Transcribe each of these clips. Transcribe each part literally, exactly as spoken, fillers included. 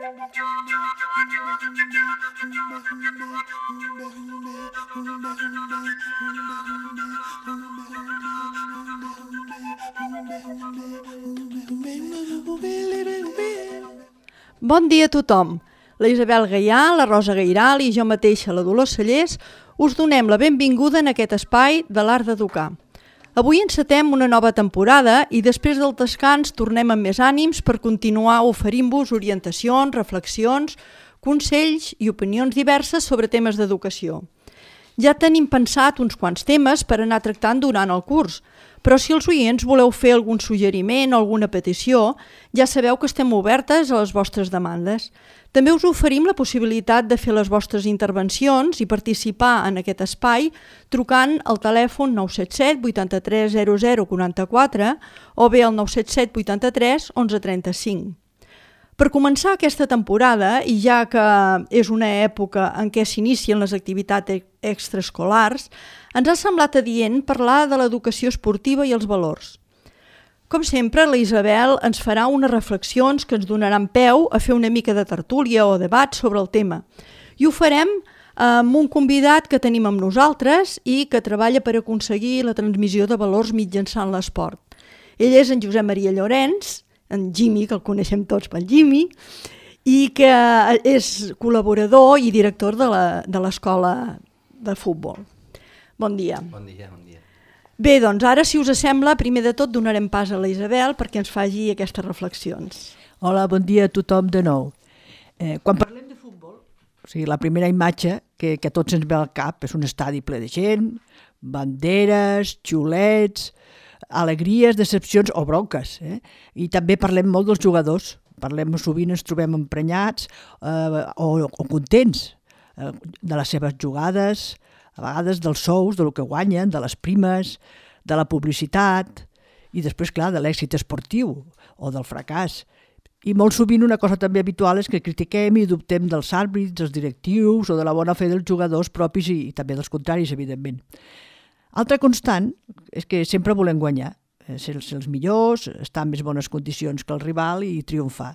Bon dia a tothom. La Isabel Gaià, la Rosa Gairal i jo mateixa, la Dolors Cellers, us donem la benvinguda en aquest espai de l'art d'educar. Avui encetem una nova temporada i després del descans tornem amb més ànims per continuar oferint-vos orientacions, reflexions, consells i opinions diverses sobre temes d'educació. Ja tenim pensat uns quants temes per anar tractant durant el curs, però si els oients voleu fer algun suggeriment o alguna petició, ja sabeu que estem obertes a les vostres demandes. També us oferim la possibilitat de fer les vostres intervencions i participar en aquest espai trucant al telèfon nou set set vuitanta-tres zero zero quaranta-quatre o bé al nou set set vuitanta-tres onze trenta-cinc. Per començar aquesta temporada, i ja que és una època en què s'inicien les activitats extraescolars, ens ha semblat adient parlar de l'educació esportiva i els valors. Com sempre, la Isabel ens farà unes reflexions que ens donaran peu a fer una mica de tertúlia o debat sobre el tema. I ho farem amb un convidat que tenim amb nosaltres i que treballa per aconseguir la transmissió de valors mitjançant l'esport. Ell és en Josep Maria Llorenç, en Jimmy, que el coneixem tots pel Jimmy, i que és col·laborador i director de l'escola de futbol. Bon dia. Bon dia, bon dia. Bé, doncs ara, si us sembla, primer de tot donarem pas a la Isabel perquè ens faci aquestes reflexions. Hola, bon dia a tothom de nou. Eh, quan parlem de futbol, o sigui, la primera imatge que, que a tots ens ve al cap és un estadi ple de gent, banderes, xiulets, alegries, decepcions o bronques. Eh? I també parlem molt dels jugadors. Parlem sovint, ens trobem emprenyats eh, o, o contents eh, de les seves jugades, a vegades dels sous, del que guanyen, de les primes, de la publicitat i després, clar, de l'èxit esportiu o del fracàs. I molt sovint una cosa també habitual és que critiquem i dubtem dels àrbitres, dels directius o de la bona fe dels jugadors propis i, i també dels contraris, evidentment. Altra constant és que sempre volem guanyar, ser els millors, estar en més bones condicions que el rival i triomfar.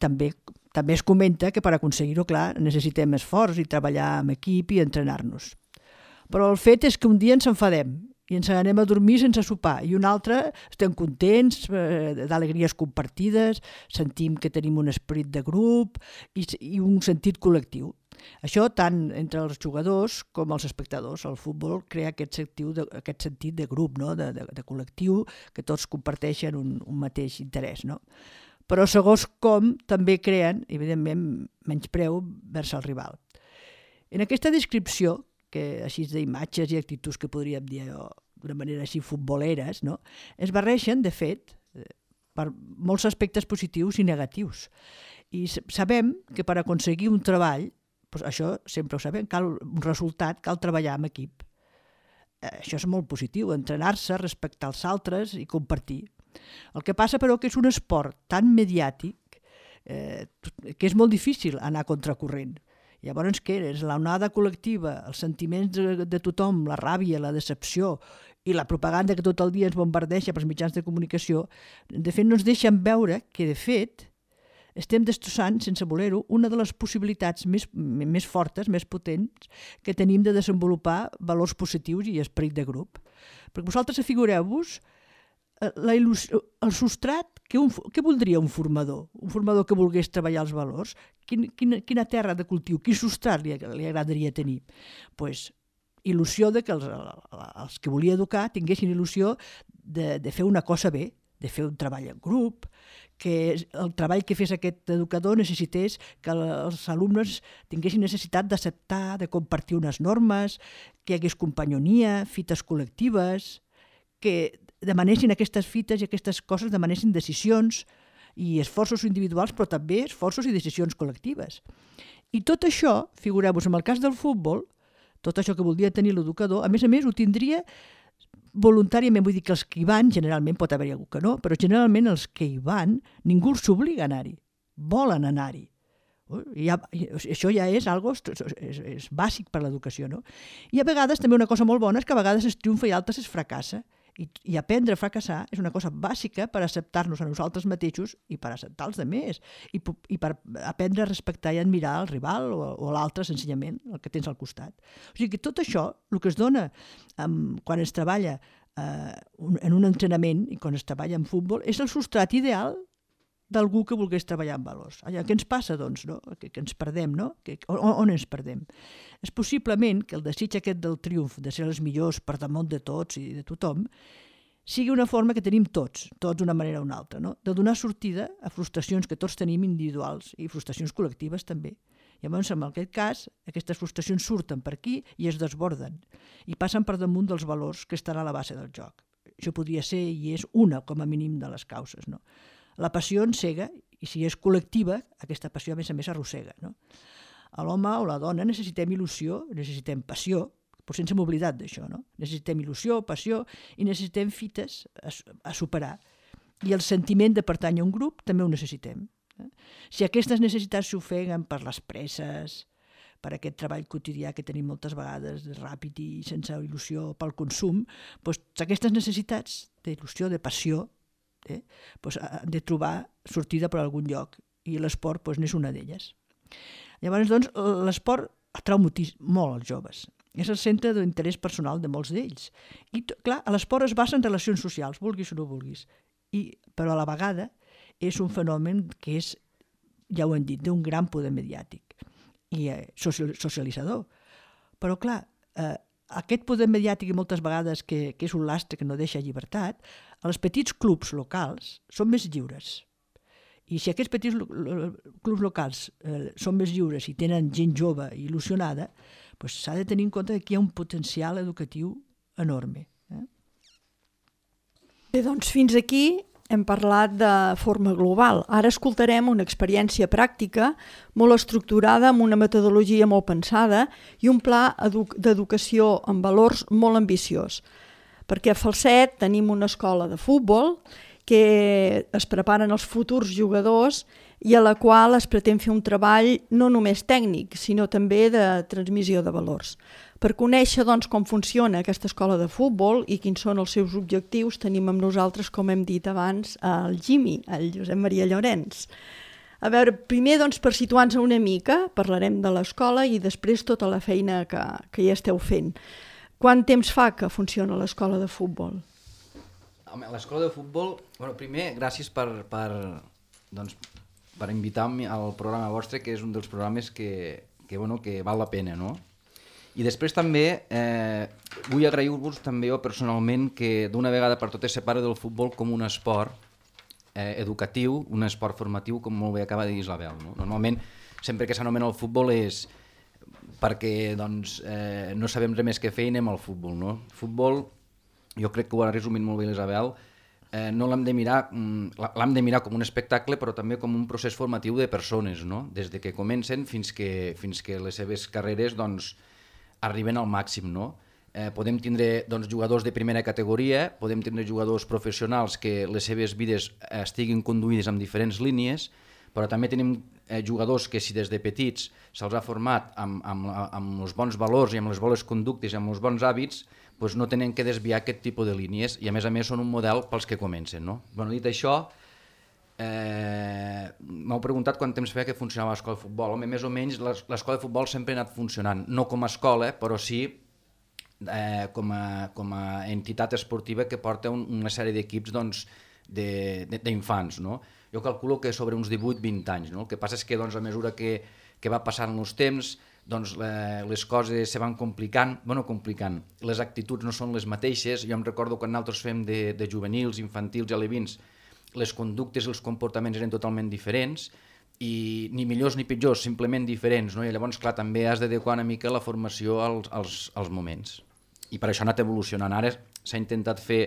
També, també es comenta que per aconseguir-ho, clar, necessitem esforç i treballar en equip i entrenar-nos. Però el fet és que un dia ens enfadem i ens anem a dormir sense sopar i un altre estem contents, eh, d'alegries compartides, sentim que tenim un esperit de grup i, i un sentit col·lectiu. Això tant entre els jugadors com els espectadors. El futbol crea aquest, de, aquest sentit de grup, no? de, de, de col·lectiu, que tots comparteixen un, un mateix interès. No? Però segons com també creen, evidentment, menyspreu vers el rival. En aquesta descripció, que així d'imatges i actituds que podríem dir d'una manera així futboleres, no? es barreixen, de fet, per molts aspectes positius i negatius. I sabem que per aconseguir un treball, doncs això sempre ho sabem, cal un resultat, cal treballar en equip. Això és molt positiu, entrenar-se, respectar els altres i compartir. El que passa, però, que és un esport tan mediàtic eh, que és molt difícil anar a contracorrent. Llavors, què és? L'onada col·lectiva, els sentiments de, de tothom, la ràbia, la decepció i la propaganda que tot el dia ens bombardeja pels mitjans de comunicació, de fet, no ens deixen veure que, de fet, estem destrossant, sense voler-ho, una de les possibilitats més, més fortes, més potents, que tenim de desenvolupar valors positius i esperit de grup. Perquè vosaltres afigureu-vos la il·lusió, el substrat, que, un, que voldria un formador? Un formador que volgués treballar els valors? Quin, quina, quina terra de cultiu, quin substrat li, li agradaria tenir? Pues, il·lusió de que els, els que volia educar tinguessin il·lusió de, de fer una cosa bé, de fer un treball en grup, que el treball que fes aquest educador necessités que els alumnes tinguessin necessitat d'acceptar, de compartir unes normes, que hi hagués companyonia, fites col·lectives, que demanessin aquestes fites i aquestes coses, demanessin decisions i esforços individuals, però també esforços i decisions col·lectives. I tot això, figureu-vos, en el cas del futbol, tot això que voldria tenir l'educador, a més a més ho tindria voluntàriament, vull dir que els que hi van, generalment pot haver-hi algú que no, però generalment els que hi van, ningú els obliga a anar-hi, volen anar-hi. Ja, això ja és algo, és, és bàsic per l'educació, no? I a vegades també una cosa molt bona és que a vegades es triomfa i a altres es fracassa. I, i aprendre a fracassar és una cosa bàsica per acceptar-nos a nosaltres mateixos i per acceptar els altres, i, i per aprendre a respectar i admirar el rival o, o l'altre, senzillament, el que tens al costat. O sigui que tot això, el que es dona um, quan es treballa uh, un, en un entrenament i quan es treballa en futbol, és el substrat ideal d'algú que volgués treballar amb valors. Allà, què ens passa, doncs, no? que, que ens perdem, no? Que, on, on ens perdem? És possiblement que el desig aquest del triomf, de ser els millors per damunt de tots i de tothom, sigui una forma que tenim tots, tots d'una manera o una altra, no? De donar sortida a frustracions que tots tenim individuals i frustracions col·lectives també. Llavors, en aquest cas, aquestes frustracions surten per aquí i es desborden i passen per damunt dels valors que estan a la base del joc. Això podria ser i és una, com a mínim, de les causes, no? La passió encega, i si és col·lectiva, aquesta passió a més a més arrossega. No? A l'home o la dona necessitem il·lusió, necessitem passió, però sense m'oblidat d'això. No? Necessitem il·lusió, passió, i necessitem fites a, a superar. I el sentiment de pertànyer a un grup també ho necessitem. Eh? Si aquestes necessitats s'ofeguen per les presses, per aquest treball quotidià que tenim moltes vegades, ràpid i sense il·lusió pel consum, doncs aquestes necessitats d'il·lusió, de passió, Eh? Pues, han de trobar sortida per algun lloc i l'esport pues, n'és una d'elles. Llavors, doncs, l'esport atrau molt als joves. És el centre d'interès personal de molts d'ells. I, clar, l'esport es basa en relacions socials, vulguis o no vulguis, I, però a la vegada és un fenomen que és, ja ho hem dit, d'un gran poder mediàtic i eh, socialitzador. Però, clar, eh, aquest poder mediàtic i moltes vegades que, que és un lastre que no deixa llibertat, els petits clubs locals són més lliures. I si aquests petits lo, lo, clubs locals eh, són més lliures i tenen gent jove i il·lusionada, doncs s'ha de tenir en compte que aquí hi ha un potencial educatiu enorme. Eh? Bé, doncs fins aquí hem parlat de forma global. Ara escoltarem una experiència pràctica molt estructurada amb una metodologia molt pensada i un pla edu- d'educació amb valors molt ambiciós. Perquè a Falset tenim una escola de futbol que es preparen els futurs jugadors i a la qual es pretén fer un treball no només tècnic, sinó també de transmissió de valors. Per conèixer doncs, com funciona aquesta escola de futbol i quins són els seus objectius, tenim amb nosaltres, com hem dit abans, el Jimmy, el Josep Maria Llorenç. A veure, primer, doncs, per situar-nos una mica, parlarem de l'escola i després tota la feina que, que hi esteu fent. Quant temps fa que funciona l'escola de futbol? L'escola de futbol, bueno, primer, gràcies per, per, doncs, per invitar-me al programa vostre, que és un dels programes que, que, bueno, que val la pena, no? I després també eh, vull agrair-vos també jo personalment que d'una vegada per totes separe del futbol com un esport eh, educatiu, un esport formatiu, com molt bé acaba de dir Isabel. No? Normalment, sempre que s'anomena el futbol és perquè doncs, eh, no sabem res més que fer i anem al futbol. No? Futbol, jo crec que ho ha resumit molt bé l'Isabel, eh, no l'hem de mirar, l'hem de mirar com un espectacle, però també com un procés formatiu de persones, no? Des de que comencen fins que, fins que les seves carreres doncs, arriben al màxim. No? Eh, podem tindre doncs, jugadors de primera categoria, podem tindre jugadors professionals que les seves vides estiguin conduïdes en diferents línies, però també tenim eh, jugadors que si des de petits se'ls ha format amb, amb, amb els bons valors i amb les bones conductes i amb els bons hàbits, doncs no tenen que desviar aquest tipus de línies i a més a més són un model pels que comencen. No? Bueno, dit això, eh, m'heu preguntat quant temps feia que funcionava l'escola de futbol. Home, més o menys l'escola de futbol sempre ha anat funcionant, no com a escola, però sí eh, com, a, com a entitat esportiva que porta un, una sèrie d'equips doncs, d'infants. No? Jo calculo que sobre uns divuit vint anys. No? El que passa és que doncs, a mesura que, que va passant els temps, doncs, les coses se van complicant, bueno, complicant, les actituds no són les mateixes. Jo em recordo quan nosaltres fem de, de juvenils, infantils i alevins, les conductes i els comportaments eren totalment diferents i ni millors ni pitjors, simplement diferents, no? I llavors, clar, també has d'adequar una mica la formació als, als, als moments. I per això ha anat evolucionant. Ara s'ha intentat fer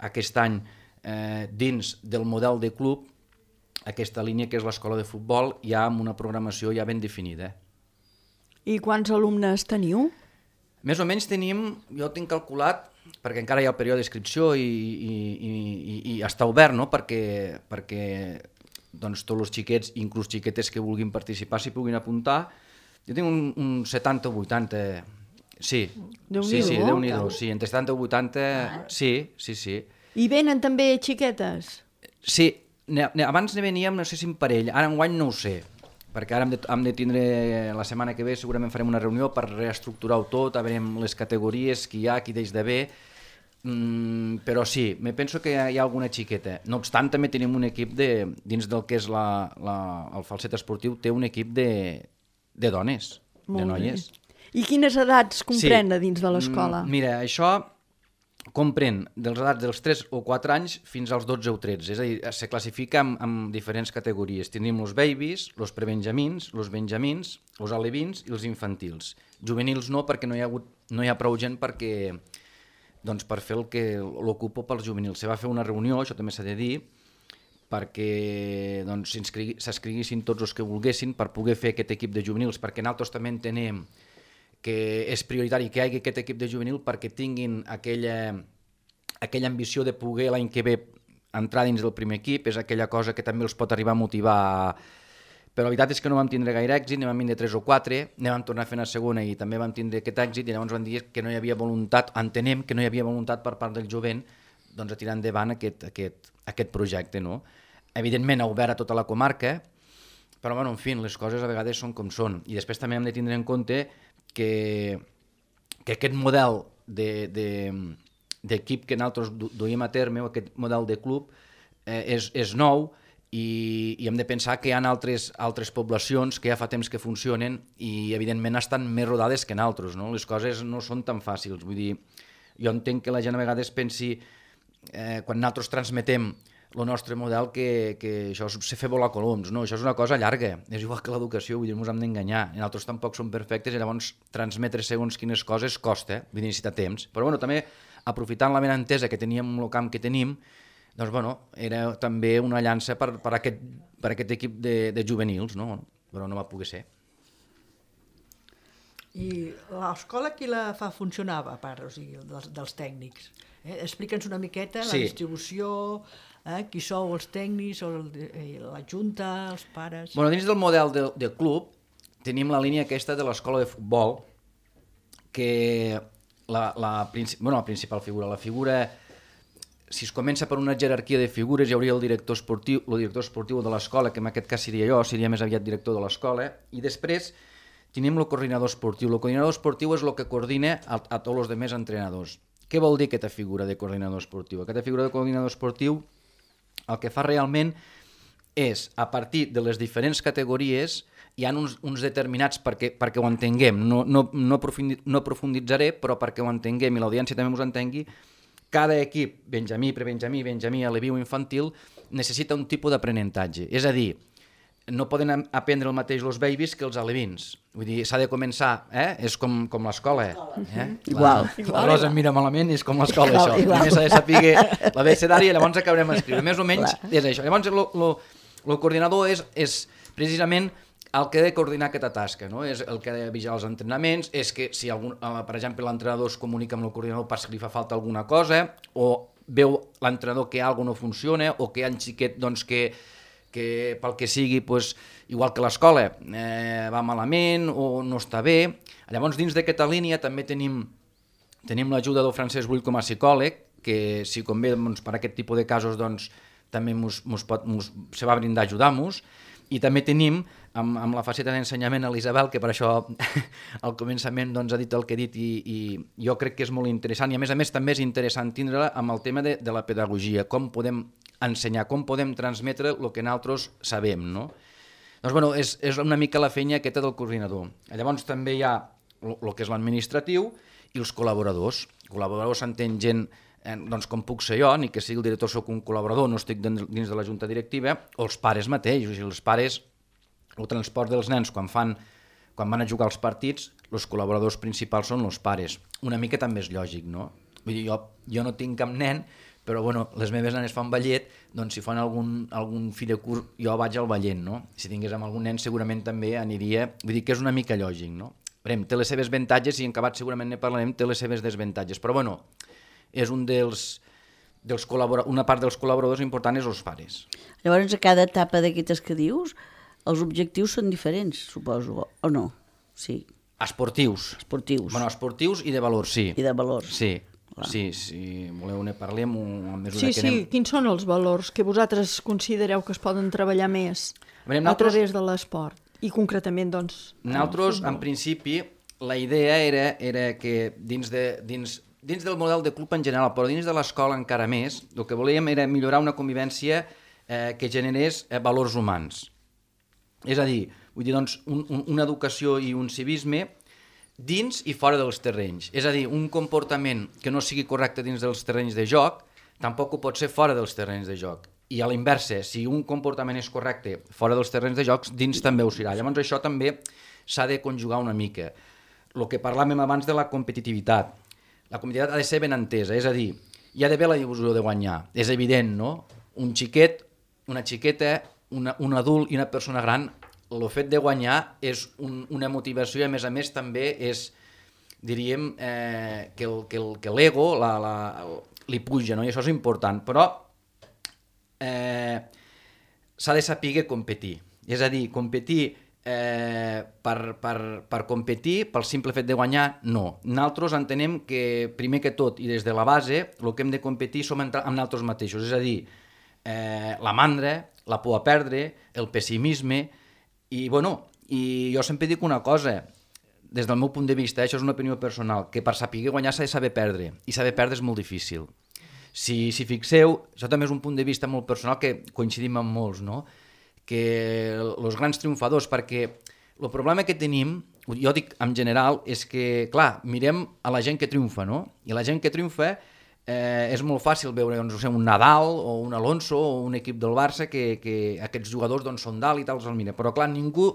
aquest any eh, dins del model de club aquesta línia que és l'escola de futbol ja amb una programació ja ben definida. I quants alumnes teniu? Més o menys tenim, jo tinc calculat, perquè encara hi ha el període d'inscripció i, i, i, i, i està obert, no? perquè, perquè doncs, tots els xiquets, inclús xiquetes que vulguin participar, s'hi puguin apuntar. Jo tinc un, un setanta o vuitanta Sí, Déu-n'hi-do. sí, sí, Déu-n'hi-do, sí, entre setanta i vuitanta, sí, sí, sí. I venen també xiquetes? Sí, ne, ne, abans ne veníem, no sé si en parell, ara enguany no ho sé, perquè ara hem de, hem de tindre, la setmana que ve segurament farem una reunió per reestructurar-ho tot, a veure les categories, qui hi ha, qui deix d'haver, mm, però sí, me penso que hi ha alguna xiqueta. No obstant, també tenim un equip de, dins del que és la, la, el falset esportiu, té un equip de, de dones, Molt de noies. bé. I quines edats comprèn Sí. dins de l'escola? Mm, Mira, això comprèn dels edats dels tres o quatre anys fins als dotze o tretze, és a dir, se classifica en, en diferents categories. Tenim els babies, els prebenjamins, els benjamins, els alevins i els infantils. Juvenils no, perquè no hi ha, hagut, no hi ha prou gent perquè, doncs, per fer el que l'ocupo pels juvenils. Se va fer una reunió, això també s'ha de dir, perquè doncs, s'inscriguessin tots els que volguessin per poder fer aquest equip de juvenils, perquè nosaltres també entenem que és prioritari que hi hagi aquest equip de juvenil perquè tinguin aquella, aquella ambició de poder l'any que ve entrar dins del primer equip, és aquella cosa que també els pot arribar a motivar. Però la veritat és que no vam tindre gaire èxit, ne vam vindre tres o quatre, ne vam tornar a fer una segona i també vam tindre aquest èxit i llavors van dir que no hi havia voluntat, entenem que no hi havia voluntat per part del jovent doncs, a tirar endavant aquest, aquest, aquest projecte. No? Evidentment ha obert a tota la comarca, però bueno, en fi, les coses a vegades són com són. I després també hem de tindre en compte que, que aquest model d'equip de, de, que nosaltres duim a terme, o aquest model de club, eh, és, és nou i, i hem de pensar que hi ha altres, altres poblacions que ja fa temps que funcionen i evidentment estan més rodades que nosaltres, no? Les coses no són tan fàcils, vull dir, jo entenc que la gent a vegades pensi, eh, quan nosaltres transmetem el nostre model, que, que això és fer volar coloms, no, això és una cosa llarga, és igual que l'educació, vull dir, no ens hem d'enganyar, i nosaltres tampoc som perfectes i llavors transmetre segons quines coses costa, vull dir, necessita temps, però bueno, també aprofitant la benentesa que teníem en el camp que tenim, doncs bueno, era també una llança per, per, aquest, per aquest equip de, de juvenils, no? Però no va poder ser. I l'escola qui la fa funcionar, a part, o sigui, dels, dels tècnics? Eh? Explica'ns una miqueta la Sí. distribució, eh? Qui sou els tècnics, el, la junta, els pares... Bueno, dins del model de, de club tenim la línia aquesta de l'escola de futbol, que la, la, bueno, la principal figura, la figura, si es comença per una jerarquia de figures, hi hauria el director esportiu, el director esportiu de l'escola, que en aquest cas seria jo, seria més aviat director de l'escola, i després tenim el coordinador esportiu. El coordinador esportiu és el que coordina a, a tots els altres entrenadors. Què vol dir aquesta figura de coordinador esportiu? Aquesta figura de coordinador esportiu el que fa realment és, a partir de les diferents categories, hi ha uns, uns determinats perquè, perquè ho entenguem. No, no, no, aprofundi, no profunditzaré, però perquè ho entenguem i l'audiència també us entengui, cada equip, benjamí, prebenjamí, benjamí, aleví o infantil, necessita un tipus d'aprenentatge. És a dir, no poden aprendre el mateix els babies que els alevins. Vull dir, s'ha de començar, eh? És com, com l'escola. Eh? Igual. La, la Rosa em mira malament i és com l'escola, això. Primer s'ha de saber l'abecedari i llavors acabarem a escriure. Més o menys clar. És això. Llavors, el coordinador és, és precisament el que ha de coordinar aquesta tasca, no? És el que ha de vigilar els entrenaments, és que si, algun, per exemple, l'entrenador es comunica amb el coordinador per si li fa falta alguna cosa, o veu l'entrenador que alguna no funciona, o que hi ha un xiquet doncs, que que pel que sigui, doncs, igual que l'escola, eh, va malament o no està bé. Llavors, dins d'aquesta línia també tenim, tenim l'ajuda del Francesc Bull com a psicòleg, que si convé doncs, per aquest tipus de casos doncs, també mos, mos pot, mos, se va brindar a ajudar-nos. I també tenim, amb, amb la faceta d'ensenyament, a l'Isabel, que per això al començament doncs, ha dit el que he dit i, i jo crec que és molt interessant i a més a més també és interessant tindre-la amb el tema de, de la pedagogia, com podem ensenyar, com podem transmetre el que nosaltres sabem, no? Doncs, bueno, és, és una mica la feina aquesta del coordinador. Llavors també hi ha el que és l'administratiu i els col·laboradors. Col·laboradors s'entén gent, eh, doncs com puc ser jo, ni que sigui el director soc un col·laborador, no estic dins de la junta directiva, o els pares mateixos, i els pares, el transport dels nens quan fan, quan van a jugar als partits, els col·laboradors principals són els pares. Una mica també és lògic, no? Vull dir, jo, jo no tinc cap nen, però bueno, les meves nenes fan ballet, doncs si fan algun, algun fill de curs, jo vaig al ballet, no? Si tingués amb algun nen segurament també aniria, vull dir que és una mica lògic, no? Veurem, té les seves avantatges i en acabat segurament ne parlarem, té les seves desavantatges, però bueno, és un dels, dels col·laboradors, una part dels col·laboradors important és els pares. Llavors, a cada etapa d'aquestes que dius, els objectius són diferents, suposo, o no? Sí. Esportius. Esportius. Bueno, esportius i de valors, sí. I de valors. Sí, sí, si voleu ne parlem a mesura Sí, que sí, anem... quins són els valors que vosaltres considereu que es poden treballar més Veurem, a nosaltres- través de l'esport? I concretament, doncs... en el Nosaltres, futbol. en principi, la idea era, era que dins, de, dins, dins del model de club en general, però dins de l'escola encara més, el que volíem era millorar una convivència eh, que generés eh, valors humans. És a dir, vull dir, doncs, un, un, una educació i un civisme dins i fora dels terrenys. És a dir, un comportament que no sigui correcte dins dels terrenys de joc, tampoc ho pot ser fora dels terrenys de joc. I a l'inversa, si un comportament és correcte fora dels terrenys de jocs, dins també ho serà. Llavors això també s'ha de conjugar una mica. El que parlàvem abans de la competitivitat. La competitivitat ha de ser ben entesa, és a dir, hi ha d'haver la il·lusió de guanyar. És evident, no? Un xiquet, una xiqueta, una, un adult i una persona gran, el fet de guanyar és un, una motivació i a més a més també és, diríem, eh, que, el, que, el, que l'ego la, la, li puja, no? I això és important, però eh, s'ha de saber competir. És a dir, competir eh, per, per, per competir, pel simple fet de guanyar, no. Nosaltres entenem que, primer que tot, i des de la base, el que hem de competir som amb nosaltres mateixos, és a dir, eh, la mandra, la por a perdre, el pessimisme, i, bueno, i jo sempre dic una cosa, des del meu punt de vista, eh, això és una opinió personal, que per saber guanyar s'ha de saber perdre, i saber perdre és molt difícil. Si, si fixeu, això també és un punt de vista molt personal que coincidim amb molts, no? Que els grans triomfadors, perquè el problema que tenim, jo dic en general, és que, clar, mirem a la gent que triomfa, no? I la gent que triomfa eh, és molt fàcil veure doncs, no sé, un Nadal o un Alonso o un equip del Barça que, que aquests jugadors doncs, són dalt i tal, els mira. Però clar, ningú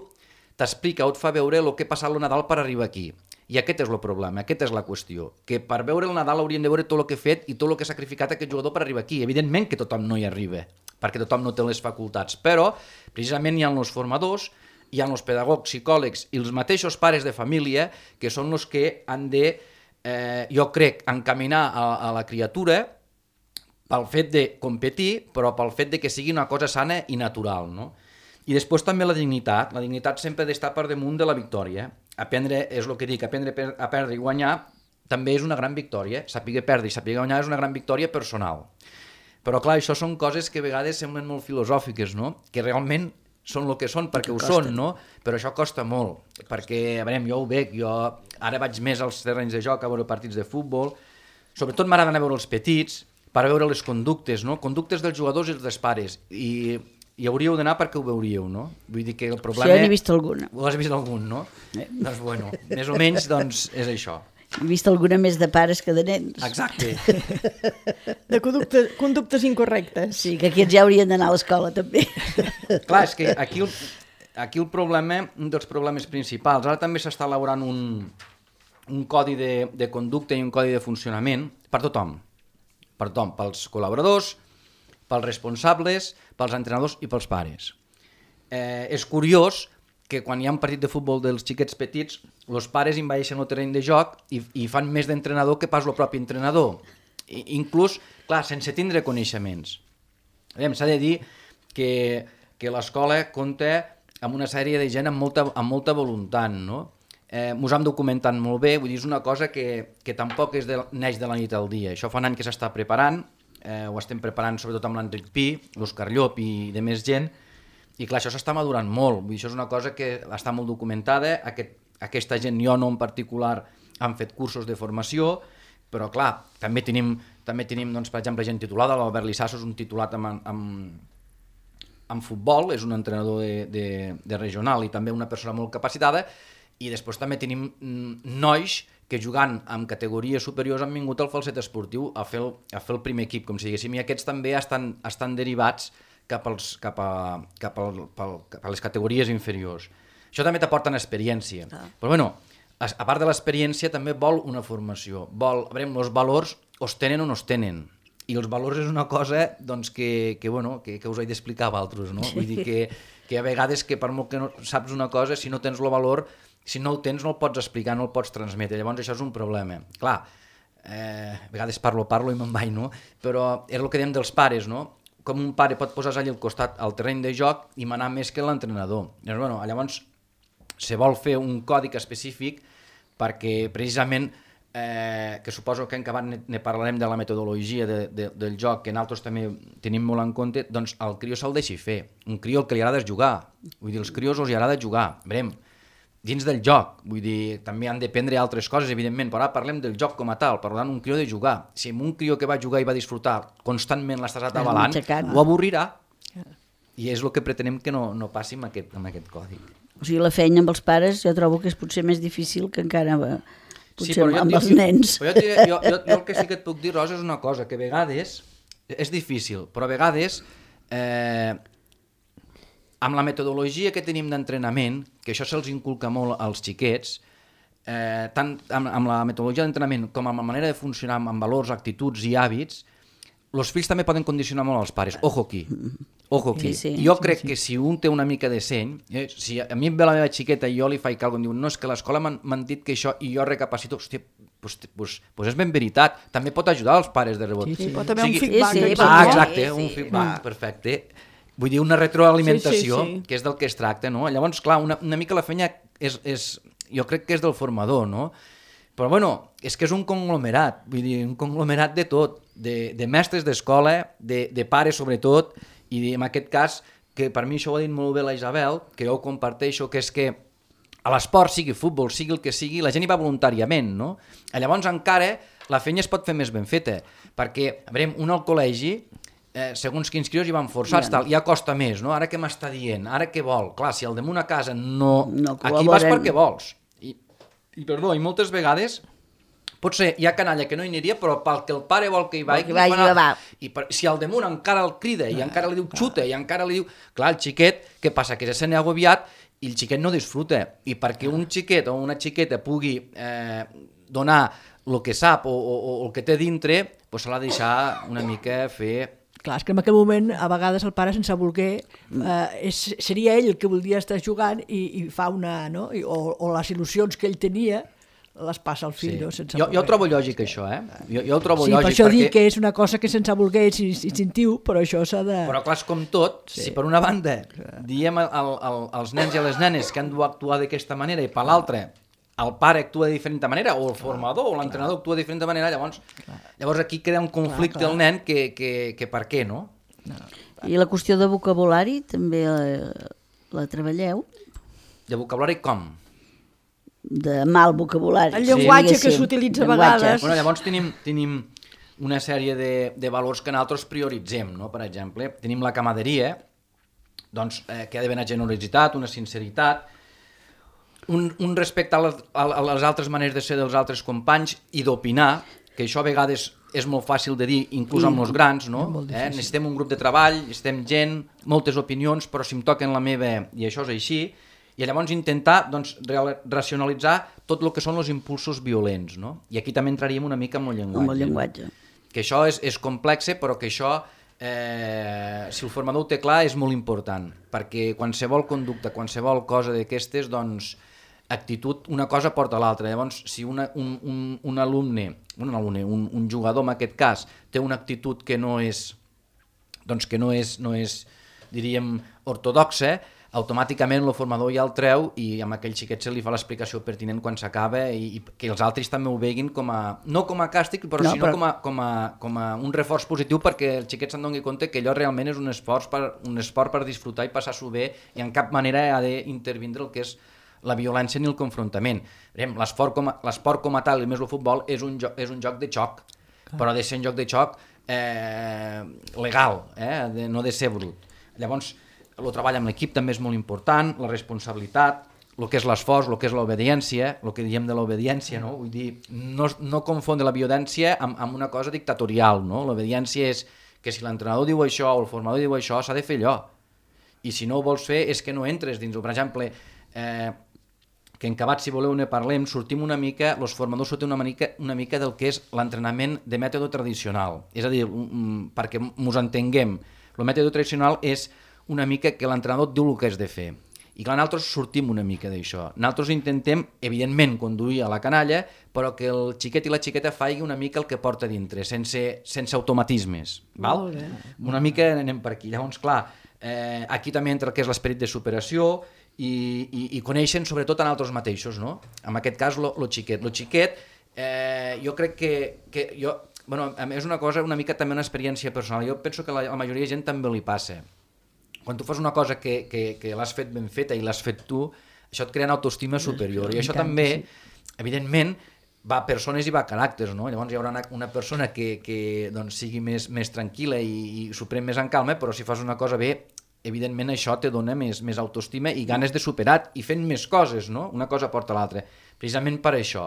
t'explica o et fa veure el que ha passat el Nadal per arribar aquí. I aquest és el problema, aquesta és la qüestió. Que per veure el Nadal haurien de veure tot el que ha fet i tot el que ha sacrificat aquest jugador per arribar aquí. Evidentment que tothom no hi arriba, perquè tothom no té les facultats. Però precisament hi ha els formadors, hi ha els pedagogs, psicòlegs i els mateixos pares de família que són els que han de, eh, jo crec, encaminar a, a la criatura pel fet de competir, però pel fet de que sigui una cosa sana i natural, no? I després també la dignitat. La dignitat sempre ha d'estar per damunt de la victòria. Aprendre, és el que dic, aprendre a perdre i guanyar també és una gran victòria. Saber perdre i saber guanyar és una gran victòria personal. Però clar, això són coses que a vegades semblen molt filosòfiques, no? Que realment són el que són perquè ho són, no? Però això costa molt, perquè, a veure, jo ho veig, jo ara vaig més als terrenys de joc a veure partits de futbol, sobretot m'agrada anar a veure els petits per veure les conductes, no? Conductes dels jugadors i dels pares, i hi hauríeu d'anar perquè ho veuríeu, no? Vull dir que el problema... Sí, n'he vist alguna. Ho has vist algun, no? Eh. Doncs bueno, més o menys doncs és això. He vist alguna més de pares que de nens. Exacte. De conductes, conductes incorrectes. Sí, que aquí ja haurien d'anar a l'escola també. Clar, és que aquí el, aquí el problema, un dels problemes principals, ara també s'està elaborant un, un codi de, de conducta i un codi de funcionament per tothom, per tothom, pels col·laboradors, pels responsables, pels entrenadors i pels pares. Eh, és curiós que quan hi ha un partit de futbol dels xiquets petits, els pares invadeixen el terreny de joc i, i fan més d'entrenador que pas el propi entrenador. I, inclús, clar, sense tindre coneixements. S'ha de dir que, que l'escola compta amb una sèrie de gent amb molta, amb molta voluntat, no? Eh, mos hem documentat molt bé, vull dir, és una cosa que, que tampoc és de, neix de la nit al dia. Això fa un any que s'està preparant, eh, ho estem preparant sobretot amb l'Enric Pi, l'Òscar Llop i de més gent, i clar, això s'està madurant molt, vull dir, això és una cosa que està molt documentada, aquest, aquesta gent, jo no en particular, han fet cursos de formació, però clar, també tenim, també tenim doncs, per exemple, gent titulada, l'Albert Lissasso és un titulat amb, amb, amb futbol, és un entrenador de, de, de regional i també una persona molt capacitada, i després també tenim nois que jugant amb categories superiors han vingut al falset esportiu a fer el, a fer el primer equip, com si diguéssim, i aquests també estan, estan derivats cap, als, cap, a, cap, al, pel, cap a les categories inferiors. Això també t'aporta experiència. Ah. Però bueno, a, a part de l'experiència també vol una formació. Vol, a veure, els valors os tenen o no es tenen. I els valors és una cosa doncs, que, que, bueno, que, que us he d'explicar a altres, no? Vull dir que, que a vegades que per molt que no saps una cosa, si no tens el valor, si no el tens no el pots explicar, no el pots transmetre, llavors això és un problema. Clar, eh, a vegades parlo, parlo i me'n vaig, no? Però és el que diem dels pares, no? Com un pare pot posar-se allà al costat al terreny de joc i manar més que l'entrenador. Llavors, bueno, llavors se vol fer un còdic específic perquè precisament, eh, que suposo que en acabat ne, ne parlarem de la metodologia de, de, del joc, que nosaltres també tenim molt en compte, doncs el crió se'l deixi fer. Un crió el que li agrada és jugar. Vull dir, els crios els agrada jugar. Veurem, dins del joc, vull dir, també han d'aprendre altres coses, evidentment, però ara parlem del joc com a tal, parlant un crió de jugar. Si un crió que va jugar i va disfrutar constantment l'estàs atabalant, ho avorrirà. I és el que pretenem que no, no passi amb aquest, amb aquest còdic. O sigui, la feina amb els pares jo trobo que és potser més difícil que encara potser sí, amb, amb jo, els jo, nens. Però jo, diré, jo, jo, jo el que sí que et puc dir, Rosa, és una cosa, que a vegades és difícil, però a vegades eh, amb la metodologia que tenim d'entrenament, que això se'ls inculca molt als xiquets, eh, tant amb, amb la metodologia d'entrenament com amb la manera de funcionar amb, amb valors, actituds i hàbits, els fills també poden condicionar molt els pares. Ojo aquí. Ojo aquí. Sí, sí, jo crec sí, sí. que si un té una mica de seny, eh, si a mi em ve la meva xiqueta i jo li faig alguna cosa, em diu, no, és que a l'escola m'han dit que això, i jo recapacito, hòstia, pues, pues, pues és ben veritat. També pot ajudar els pares de rebot. Sí, sí. Pot haver o sigui, un feedback. Sí, sí, ah, exacte, sí, un sí. feedback, perfecte. Vull dir, una retroalimentació, sí, sí, sí. que és del que es tracta, no? Llavors, clar, una, una mica la feina és, és, jo crec que és del formador, no? Però, bueno, és que és un conglomerat, vull dir, un conglomerat de tot, de, de mestres d'escola, de, de pares sobretot, i en aquest cas, que per mi això ho ha dit molt bé la Isabel, que jo ho comparteixo, que és que a l'esport, sigui futbol, sigui el que sigui, la gent hi va voluntàriament, no? Llavors encara la feina es pot fer més ben feta, perquè, a veure, un al col·legi, eh, segons quins crios hi van forçats, ja. Tal, ja costa més, no? Ara què m'està dient? Ara què vol? Clar, si al damunt a casa no... no aquí vas perquè vols. I, i perdó, i moltes vegades potser hi ha canalla que no hi aniria, però pel que el pare vol que hi vagi, que vagi va. I per, si al damunt encara el crida i encara li diu xuta i encara li diu... Clar, el xiquet, què passa? Que se n'ha agobiat i el xiquet no disfruta. I perquè un xiquet o una xiqueta pugui eh, donar el que sap o, o, o el que té dintre, doncs s'ha de deixar una mica fer... Clar, és que en aquell moment, a vegades, el pare, sense voler, eh, és, seria ell el que voldria estar jugant i, i fa una... No? I, o, o les il·lusions que ell tenia les passa al fill, sí. no? Sense jo, jo ho trobo lògic, això, eh? Jo, jo ho trobo sí, lògic. Per això perquè... dic que és una cosa que sense voler és instintiu, però això s'ha de... Però clar, és com tot, sí. Si per una banda diem al, al, als nens i a les nenes que han d'actuar d'aquesta manera i per l'altra el pare actua de diferent manera, o el formador o l'entrenador actua de diferent manera, llavors, llavors aquí crea un conflicte clar, clar. Al nen que, que, que per què, no? no? I la qüestió de vocabulari també la, la treballeu? De vocabulari com? De mal vocabulari. El llenguatge sí, que s'utilitza a vegades. Bueno, llavors tenim, tenim una sèrie de, de valors que nosaltres prioritzem, no? Per exemple, tenim la camaderia, doncs, eh, que ha d'haver una generositat, una sinceritat, un, un respecte a les, a les altres maneres de ser dels altres companys i d'opinar, que això a vegades és molt fàcil de dir, inclús amb els grans, no? Eh? Necessitem un grup de treball, necessitem gent, moltes opinions, però si em toquen la meva i això és així, i llavors intentar doncs, racionalitzar tot el que són els impulsos violents, no? I aquí també entraríem una mica amb el llenguatge. Amb el llenguatge. Que això és, és complex, però que això, eh, si el formador ho té clar, és molt important, perquè qualsevol conducta, qualsevol cosa d'aquestes, doncs, actitud, una cosa porta a l'altra. Llavors, si una, un, un, un alumne, un, alumne un, un jugador en aquest cas, té una actitud que no és, doncs que no és, no és diríem, ortodoxa, automàticament el formador ja el treu i amb aquell xiquet se li fa l'explicació pertinent quan s'acaba i, i que els altres també ho veguin com a, no com a càstig, però no, sinó però... com, a, com, a, com a un reforç positiu perquè el xiquet se'n doni compte que allò realment és un esforç per, un esport per disfrutar i passar-s'ho bé i en cap manera ha d'intervindre el que és la violència ni el confrontament. L'esport com, com a tal, i més el futbol, és un, joc, és un joc de xoc, clar. Però ha de ser un joc de xoc eh, legal, eh, de, no de ser brut. Llavors, el treball amb l'equip també és molt important, la responsabilitat, el que és l'esforç, el que és l'obediència, el que diem de l'obediència, no? Vull dir, no, no confondre la violència amb, amb una cosa dictatorial, no? L'obediència és que si l'entrenador diu això o el formador diu això, s'ha de fer allò. I si no ho vols fer és que no entres dins. Per exemple, eh, que en acabat, si voleu, ne parlem, sortim una mica, els formadors sortim una mica, una mica del que és l'entrenament de mètode tradicional. És a dir, um, perquè mos entenguem, el mètode tradicional és una mica que l'entrenador diu el que has de fer. I clar, nosaltres sortim una mica d'això. Nosaltres intentem, evidentment, conduir a la canalla, però que el xiquet i la xiqueta faci una mica el que porta dintre, sense, sense automatismes. Val? Una mica anem per aquí. Llavors, clar, eh, aquí també entra el que és l'esperit de superació i, i, i coneixen sobretot en altres mateixos, no? En aquest cas, lo, lo xiquet. Lo xiquet, eh, jo crec que, que jo, bueno, és una cosa, una mica també una experiència personal. Jo penso que la, la majoria de gent també li passa. Quan tu fas una cosa que, que, que l'has fet ben feta i l'has fet tu, això et crea una autoestima superior. I això també, evidentment, va a persones i va a caràcters, no? Llavors hi haurà una, una persona que, que doncs, sigui més, més tranquil·la i, i s'ho pren més en calma, però si fas una cosa bé, evidentment això te dona més, més autoestima i ganes de superar i fent més coses, no? Una cosa porta a l'altra. Precisament per això,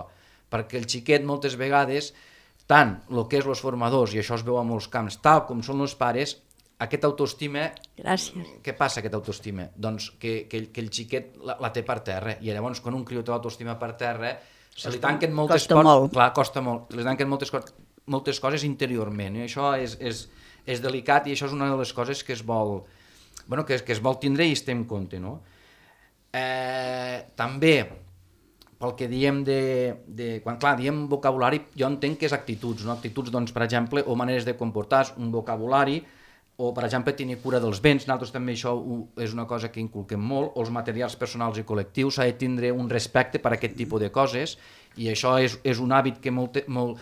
perquè el xiquet moltes vegades, tant el que és els formadors, i això es veu a molts camps, tal com són els pares, aquesta autoestima... Gràcies. Què passa, aquesta autoestima? Doncs que, que, que el xiquet la, la té per terra, i llavors quan un criu té l'autoestima per terra, se li tanquen moltes costa molt. Clar, costa molt. Se li tanquen moltes, moltes coses interiorment, i això és, és, és delicat, i això és una de les coses que es vol, bueno, que, que es vol tindre i es té en compte, no? Eh, també, pel que diem de, de... Quan, clar, diem vocabulari, jo entenc que és actituds, no? Actituds, doncs, per exemple, o maneres de comportar, un vocabulari, o, per exemple, tenir cura dels béns, nosaltres també això és una cosa que inculquem molt, o els materials personals i col·lectius, s'ha de tindre un respecte per a aquest tipus de coses, i això és, és un hàbit que molt, molt,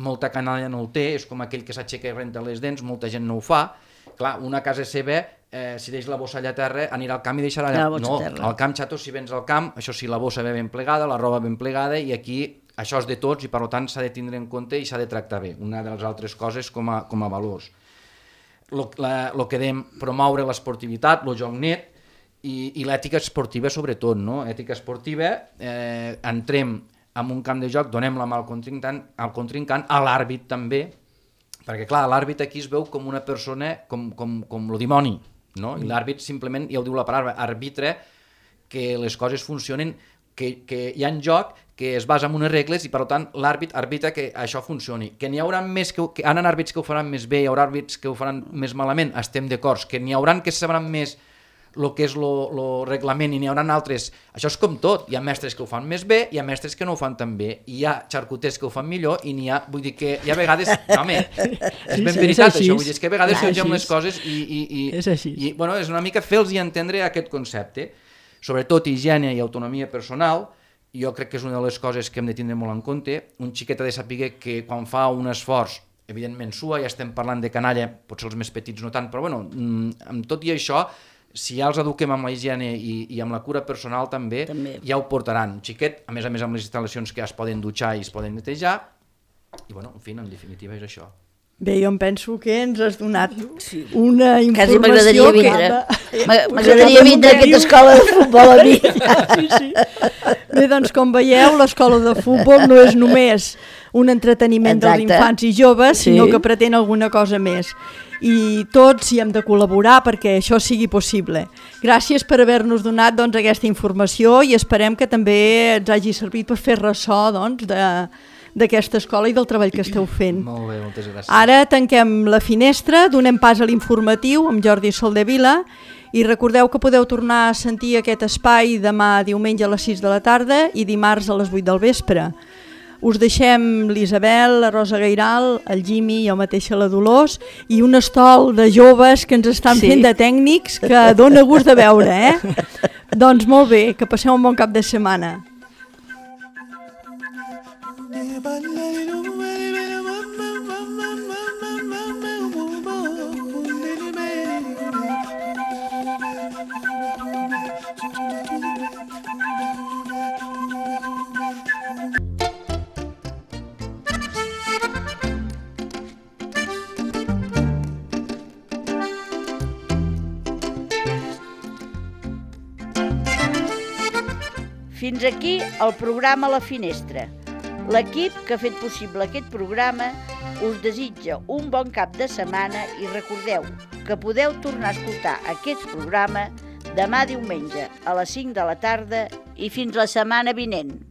molta canalla no el té, és com aquell que s'aixeca i renta les dents, molta gent no ho fa. Clar, una casa seva, eh, si deixa la bossa allà a terra, anirà al camp i deixarà allà. No, al camp, xato, si vens al camp, això sí, la bossa ve ben plegada, la roba ben plegada, i aquí això és de tots, i per tant s'ha de tindre en compte i s'ha de tractar bé. Una de les altres coses com a, com a valors. El que dèiem, promoure l'esportivitat, el joc net i, i l'ètica esportiva sobretot, no? Ètica esportiva, eh, entrem en un camp de joc, donem la mà al contrincant, al contrincant, a l'àrbit també, perquè clar, l'àrbit aquí es veu com una persona, com, com, com el dimoni, no? I l'àrbit simplement, ja ho diu la paraula, arbitra que les coses funcionen, que, que hi ha en joc, que es basa en unes regles i per tant l'àrbit arbitra que això funcioni. Que n'hi haurà més que, que han àrbits que ho faran més bé, hi haurà àrbits que ho faran més malament, estem d'acord. Que n'hi haurà que sabran més el que és el reglament i n'hi haurà altres. Això és com tot, hi ha mestres que ho fan més bé, hi ha mestres que no ho fan tan bé, i hi ha xarcuters que ho fan millor i n'hi ha, vull dir que hi ha vegades, no, home, és ben veritat això, vull dir, és que a vegades s'engem les coses i, i, i, és així. i bueno, és una mica fer-los entendre aquest concepte, sobretot higiene i autonomia personal. Jo crec que és una de les coses que hem de tindre molt en compte. Un xiquet ha de saber que quan fa un esforç, evidentment sua, ja estem parlant de canalla, potser els més petits no tant, però bueno, amb tot i això, si ja els eduquem amb la higiene i, i amb la cura personal també, també, ja ho portaran. Un xiquet, a més a més amb les instal·lacions que ja es poden dutxar i es poden netejar, i bueno, en fi, en definitiva és això. Bé, jo em penso que ens has donat una informació... Quasi m'agradaria vindre. M'agradaria vindre a aquesta escola de futbol a mi. Sí, sí. Bé, doncs com veieu, l'escola de futbol no és només un entreteniment dels infants i joves, sinó que pretén alguna cosa més. I tots hi hem de col·laborar perquè això sigui possible. Gràcies per haver-nos donat doncs, aquesta informació i esperem que també ens hagi servit per fer ressò doncs, de... d'aquesta escola i del treball que esteu fent. Molt bé, moltes gràcies. Ara tanquem la finestra, donem pas a l'informatiu amb Jordi Soldevila i recordeu que podeu tornar a sentir aquest espai demà diumenge a les sis de la tarda i dimarts a les vuit del vespre. Us deixem l'Isabel, la Rosa Gairal, el Jimmy, jo mateixa la Dolors i un estol de joves que ens estan sí. fent de tècnics que dona gust de veure, eh? Doncs molt bé, que passeu un bon cap de setmana. Fins aquí el programa La Finestra. L'equip que ha fet possible aquest programa us desitja un bon cap de setmana i recordeu que podeu tornar a escoltar aquest programa demà diumenge a les cinc de la tarda i fins la setmana vinent.